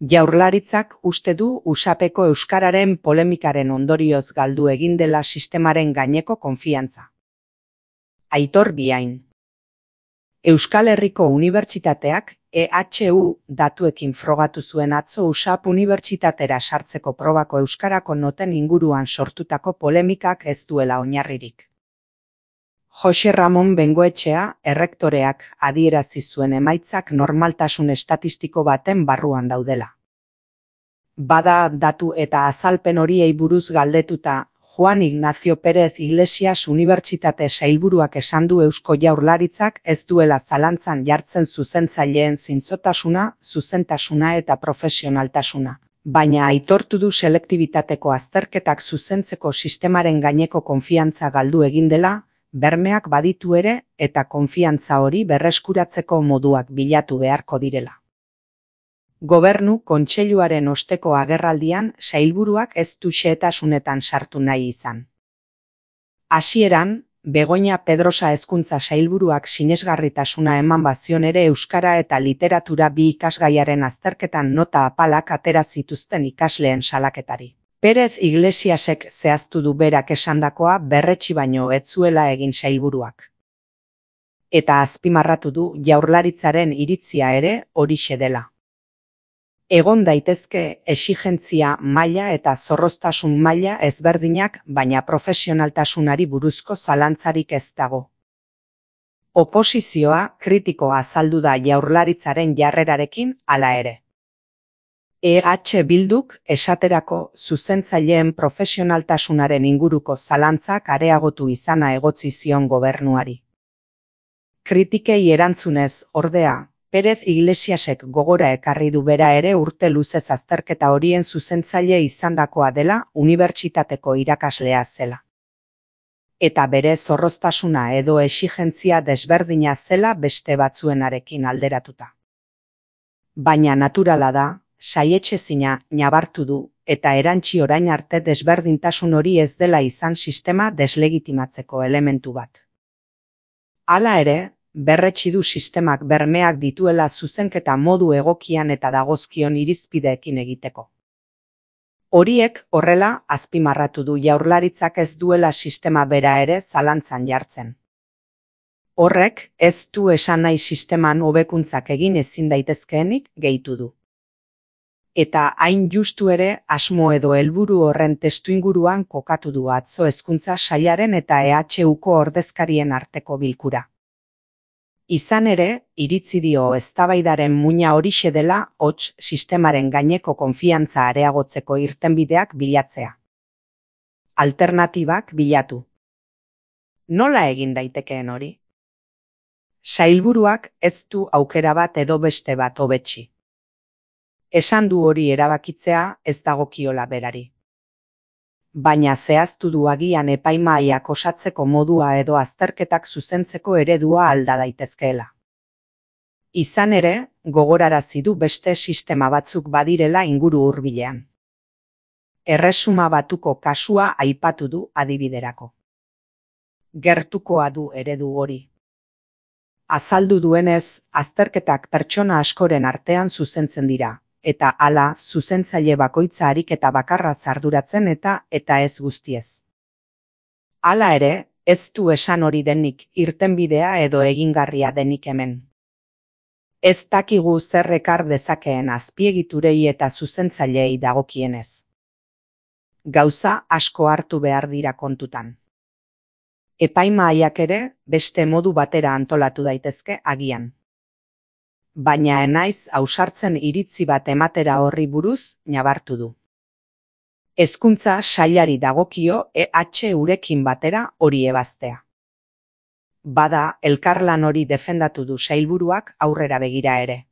Jaurlaritzak uste du usapeko euskararen polemikaren ondorioz galdu egin dela sistemaren gaineko konfiantza. Aitor Biain. Euskal Herriko Unibertsitateak EHU datuekin frogatu zuen atzo USAP unibertsitatera sartzeko probako euskarako noten inguruan sortutako polemikak ez duela oinarririk. Jose Ramon Bengoetxea, errektoreak, adierazi zuen emaitzak normaltasun estatistiko baten barruan daudela. Bada datu eta azalpen horiei buruz galdetuta, Juan Ignacio Pérez Iglesias Unibertsitate sailburuak esan du Eusko Jaurlaritzak ez duela zalantzan jartzen zuzentzaileen zintzotasuna, zuzentasuna eta profesionaltasuna. Baina aitortu du selektibitateko azterketak zuzentzeko sistemaren gaineko konfiantza galdu egin dela, bermeak baditu ere eta konfiantza hori berreskuratzeko moduak bilatu beharko direla. Gobernu Kontseiluaren osteko agerraldian sailburuak ez du xehetasunetan sartu nahi izan. Hasieran, Begoña Pedrosa hezkuntza sailburuak sinesgarritasuna eman bazion ere euskara eta literatura bi ikasgaiaren azterketan nota apalak atera zituzten ikasleen salaketari. Pérez Iglesiasek zehaztu du berak esandakoa berretsi baino ez zuela egin sailburuak. Eta azpimarratu du Jaurlaritzaren iritzia ere horixe dela. Egon daitezke exigentzia maila eta zorroztasun maila ezberdinak, baina profesionaltasunari buruzko zalantzarik ez dago. Oposizioa kritikoa azaldu da Jaurlaritzaren jarrerarekin hala ere. EH Bilduk esaterako zuzentzaileen profesionaltasunaren inguruko zalantzak areagotu izana egotzi zion gobernuari. Kritikei erantzunez, ordea, Pérez Iglesiasek gogora ekarri du bera ere urte luzez azterketa horien zuzentzaile izandakoa dela unibertsitateko irakaslea zela. Eta bere zorroztasuna edo exigentzia desberdina zela beste batzuenarekin alderatuta. Baina naturala da, saietsezina nabartu du, eta erantsi orain arte desberdintasun hori ez dela izan sistema deslegitimatzeko elementu bat. Hala ere, berretsi du sistemak bermeak dituela zuzenketa modu egokian eta dagozkion irizpideekin egiteko. Horiek horrela azpimarratu du Jaurlaritzak ez duela sistema bera ere zalantzan jartzen. Horrek ez du esan nahi sisteman hobekuntzak egin ezin daitezkeenik gehitu du. Eta hain justu ere asmo edo helburu horren testuinguruan kokatu du atzo hezkuntza sailaren eta EHUko ordezkarien arteko bilkura. Izan ere, iritzi dio eztabaidaren muina horixe dela hots sistemaren gaineko konfiantza areagotzeko irtenbideak bilatzea. Alternatibak bilatu. Nola egin daitekeen hori? Sailburuak ez du aukera bat edo beste bat hobetsi. Esan du hori erabakitzea ez dagokiola berari. Baina zehaztu du agian epaimahaiak osatzeko modua edo azterketak zuzentzeko eredua alda daitezkeela. Izan ere, gogorarazi du beste sistema batzuk badirela inguru hurbilean. Erresuma Batuko kasua aipatu du adibiderako. Gertukoa du eredu hori. Azaldu duenez, azterketak pertsona askoren artean zuzentzen dira. Eta hala, zuzentzaile bakoitza ariketa bakarra arduratzen eta ez guztiez. Hala ere, ez du esan hori denik irtenbidea edo egingarria denik hemen. Ez dakigu zer ekar dezakeen azpiegiturei eta zuzentzaileei dagokienez. Gauza asko hartu behar dira kontutan. Epaimahaiak ere beste modu batera antolatu daitezke agian. Baina enaiz ausartzen iritzi bat ematera horri buruz nabartu du. Hezkuntza sailari dagokio EHUrekin batera hori ebaztea. Bada elkarlan hori defendatu du sailburuak aurrera begira ere.